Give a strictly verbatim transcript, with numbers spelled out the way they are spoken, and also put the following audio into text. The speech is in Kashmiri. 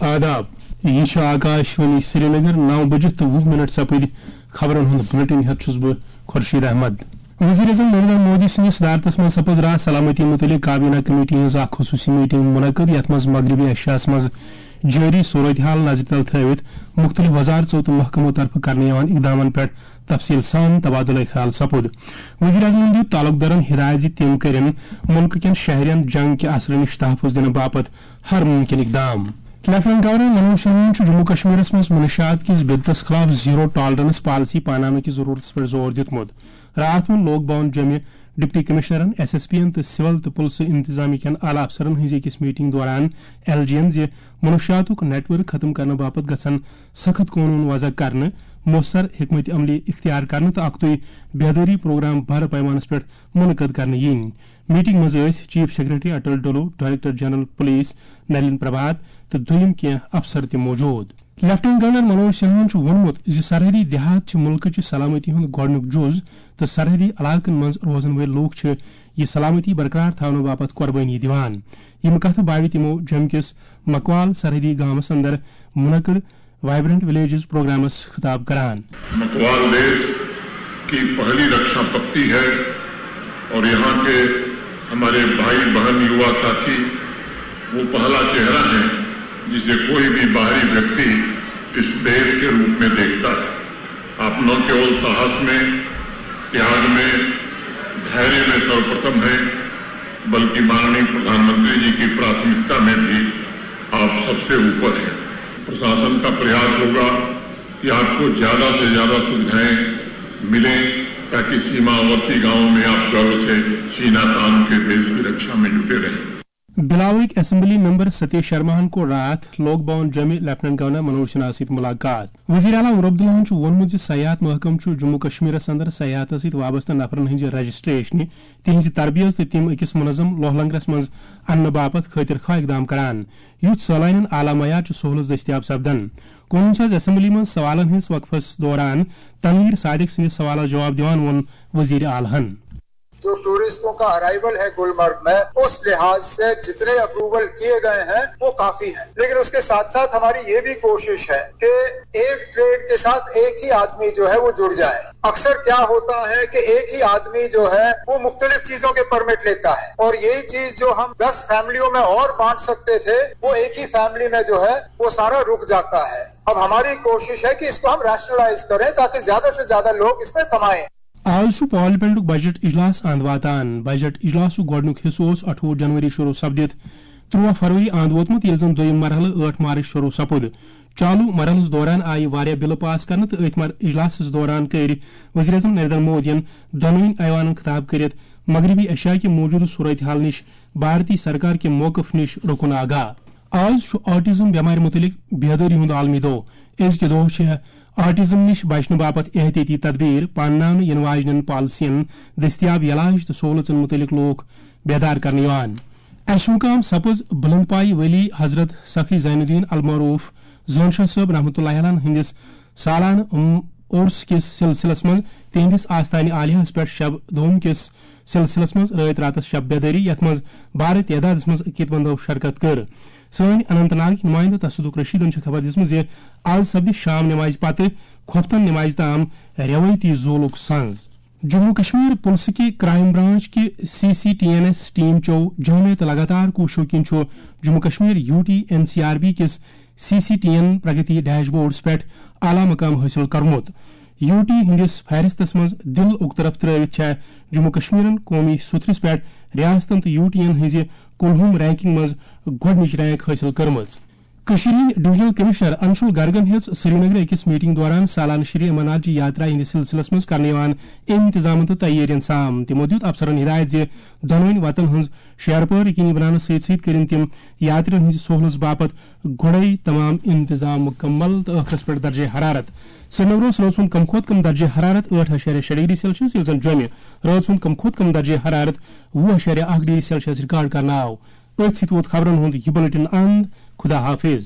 آداب، یہِ چھِ آکاش وانی سرینگر، نو بجہِ تہٕ وُہ منٹ سپٕدۍ خبرن ہُنٛد بلیٹن ہٮ۪تھ چھُس بہٕ خورشید احمد۔ وزیر اعظم نریندر مودی سٕنٛدِس صدارتس منٛز سپٕز راز سلامتی متعلق کابینہ کمیٹی ہٕنٛز اکھ خصوصی میٹنگ منعقد، یتھ منٛز مغربی ایشیاہس منٛز جٲری صورتحال نظرِ تل تھٲوِتھ مُختٔلِف وزارژو تہٕ محکمو طرفہٕ کرنہٕ یِوان اقدامن پٮ۪ٹھ تفصیل سان تبادلہ خیال سپُد۔ وزیر اعظمن دیُت تعلق دارن ہدایت زِ تِم کٔرِن مُلکہٕ کٮ۪ن شہرٮ۪ن جنگ کہِ اثرٕ نِش تحفظ دِنہٕ باپتھ ہر ممکن اقدام۔ لیفٹیننٹ گورنر منوج سنہاہن چھُ جموں کشمیرس منٛز منشیات کِس بدعتس خلاف زیرو ٹالرنس پالیسی پاناونہٕ کِس ضروٗرتس پٮ۪ٹھ زور دیُتمُت۔ راتھ ووٚن لوک بھون جوٚمہِ ڈپٹی کمشنرن، ایس ایس پی ین تہٕ سول تہٕ پُلسہٕ انتظامیہ کٮ۪ن اعلیٰ افسرن ہٕنٛزِ أکِس میٹنگ دوران ایل جی ین زِ منشیاتُک نیٹ ورک ختم کرنہٕ باپتھ گژھن سخت قونوٗن وضع کرنہٕ، مؤثر حکمت عملی اختیار کرنہٕ تہٕ اکھتُے بیدٲری پروگرام بڑٕ پیمانس پٮ۪ٹھ منعقد کرنہٕ یِنۍ۔ میٹنگ منٛز ٲسۍ چیف سیکرٹری اٹل ڈولو، director general police Nalin Prabhat تہٕ دوٚیِم کینٛہہ افسر تہِ موجود۔ لیفٹیننٹ گورنر منوج سنہاہن چھُ ووٚنمُت زِ سرحدی دیہات چھِ مُلکٕچہِ سلامتی ہُنٛد گۄڈٕنیُک جُز تہٕ سرحدی علاقن منٛز روزن وٲلۍ لوٗکھ چھِ یہِ سلامتی برقرار تھاونہٕ باپتھ قۄربٲنی دِوان۔ یِم کتھٕ باوِ تِمو جوٚمہِ کِس مکوال سرحدی گامس اندر منعقد وائبرنٹ ولیجز پروگرامس خطاب کران۔ مکوال دیش کی پہلی رکشا پکتی ہے اور یہاں کے ہمارے بھائی، بہن، یوا ساتھی وہ پہلا چہرہ ہیں جسے کوئی بھی باہری ویکتی اس دیش کے روپ میں دیکھتا ہے۔ آپ نہ کیول ساہس میں، تیاگ میں، دھیرے میں سروپرتم ہیں، بلکہ माननीय प्रधानमंत्री जी की प्राथमिकता में भी आप सबसे ऊपर हैं। प्रशासन का प्रयास होगा कि आपको ज्यादा से ज्यादा सुविधाएं मिलें, ताकि सीमावर्ती गांवों में आप गर्व से सीना तान के देश की रक्षा में जुटे रहें। بلاوٕکۍ اسمبلی ممبر ستیش شرماہن کوٚر راتھ لوک بھون جوٚمہِ لیفٹیننٹ گورنر منوج سنہاہس سۭتۍ ملاقات۔ وزیر اعلیٰ عمر عبداللہن چھُ ووٚنمُت زِ سیاحت محکمہٕ چھُ جموں کشمیرس اندر سیاحتس سۭتۍ وابستہٕ نفرن ہٕنٛزِ رجسٹریشنہِ، تِہنٛزِ تربیت تہٕ تِم أکِس منظم لوہ لنگرس منٛز اننہٕ باپتھ خٲطر خواہ اقدام کران، یُتھ سٲلانٮ۪ن اعلیٰ معیار چہِ سہولژ دٔستیاب سپدن۔ کُنوُہ ساس اسمبلی منٛز سوالن ہٕنٛدِس وقفس دوران تنویر صادق سٕنٛدِس سوالس جواب دِوان ووٚن وزیر اعلیٰ ہن۔ جو ٹورسٹوں کا ارائیول ہے گلمرگ میں، اس لحاظ سے جتنے اپروول کیے گئے ہیں وہ کافی ہیں، لیکن اس کے ساتھ ساتھ ہماری یہ بھی کوشش ہے کہ ایک ٹریڈ کے ساتھ ایک ہی آدمی جو ہے وہ جڑ جائے۔ اکثر کیا ہوتا ہے کہ ایک ہی آدمی جو ہے وہ مختلف چیزوں کے پرمٹ لیتا ہے، اور یہی چیز جو ہم دس فیملیوں میں اور بانٹ سکتے تھے، وہ ایک ہی فیملی میں جو ہے وہ سارا رک جاتا ہے۔ اب ہماری کوشش ہے کہ اس کو ہم ریشنلائز کریں تاکہ زیادہ سے زیادہ لوگ اس میں کمائیں۔ آز چھُ پارلیمنٹُک بجٹ اجلاس اند واتان۔ بجٹ اجلاسُک گۄڈٕنیُک حصہٕ اوس اَٹھووُہ جنوری شروع سپدِتھ تُرٛواہ فروری اند ووتمُت، ییٚلہِ زن دوٚیِم مرحلہٕ ٲٹھ مارچ شروع سپُد۔ چالو مرحلس دوران آیہِ واریاہ بلہٕ پاس کرنہٕ تہٕ أتھۍ مر-، اجلاسس دوران کٔرۍ وزیر اعظم نریندر مودیَن دۄنوٕنی ایوانن خطاب کٔرِتھ مغربی ایشیا کہِ موجودٕ صورتحال نِش بھارتی سرکار کہِ موقف نِش رُکُن آگاہ۔ آز چھُ آٹزم بٮ۪مارِ مُتعلق بیدٲری ہُنٛد عالمی دۄہ۔ أزکہِ دۄہ چھِ آٹزم نِش بچنہٕ باپتھ احتیاطی تدبیر، پانناونہٕ یِنہٕ واجنٮ۪ن پالیسین، دٔستیاب علاج تہٕ سہولژن مُتعلق لوٗکھ بیدار کرنہٕ یِوان۔ اَسہِ مُقام سپٕز بُلند پایہِ ولی حضرت سخی زین الدین المعروف زٲن شاہ صٲب رحمتہ اللہ علیہ ہٕنٛدِس سالانہٕ، ام، عرس کِس سلسلس منٛز تِہنٛدِس آستانہِ عالیہس پٮ۪ٹھ شب دوم کِس سلسلس منٛز رٲتۍ راتس شب بیدٲری، یتھ منٛز بارٕ تعدادس منٛز عقیدت مندو شرکت کٔر۔ سٲنۍ اننت ناگٕکۍ نُمٲیندٕ تصدق رشیدن چھِ خبر دِژمٕژ زِ آز سپدِ شام نمازِ پتہٕ کھۄفتن نمازِ تام رٮ۪وٲیتی زولُک سنز۔ جموں کشمیر پُلسہٕ کہِ کرائم برانچ کہِ C C T N S team چو جامع تہٕ لگاتار کوٗششو کِنۍ چھُ Jammu Kashmir U T N C R B کِس C C T N Pragati dashboards پٮ۪ٹھ اعلیٰ مقام حٲصِل کوٚرمُت۔ یوٗ ٹی ہٕنٛدِس فہرستس منٛز دِل اُکطرف ترٲوِتھ چھےٚ جموں کشمیرن قومی سُتھرِس پٮ۪ٹھ ریاستن تہٕ یوٗ ٹی ین ہٕنٛزِ کُلہُم رینکنگ منٛز گۄڈٕنِچ رینک حٲصِل کٔرمٕژ۔ کٔشیٖرِ ہٕنٛدۍ ڈویژنل کمشنر انشول گرگن ہیٚژ سرینگرٕ أکِس میٹنگ دوران سالانہٕ شری امرناتھ جی یاترا ہٕنٛدِ سلسلس منٛز کرنہٕ یِوان انتظامن تہٕ تیٲرین سام۔ تِمو دیُت افسرن ہدایت زِ دۄنوٕنۍ وتن ہٕنٛز شیرپٲرۍ یقینی بناونس سۭتۍ سۭتۍ کٔرِن تِم یاترین ہٕنٛزِ سہولژ باپتھ گۄڈے تمام انتظام مکمل تہٕ ٲخرس پٮ۪ٹھ درجہ حرارت۔ سرینگرس روز سُنٛد کم کھۄتہٕ کم درجہ حرارت ٲٹھ اعشاریہ شےٚ ڈگری سیلسیس، ییٚلہِ زن جوٚمہِ روز سُنٛد کم کھۄتہٕ کم درجہ حرارت وُہ اعشاریہ اکھ ڈگری سیلسیس ریکارڈ کرنہٕ آو۔ أتھۍ سۭتۍ ووت خبرن ہُنٛد یہِ بلیٹن اند۔ خدا حافظ۔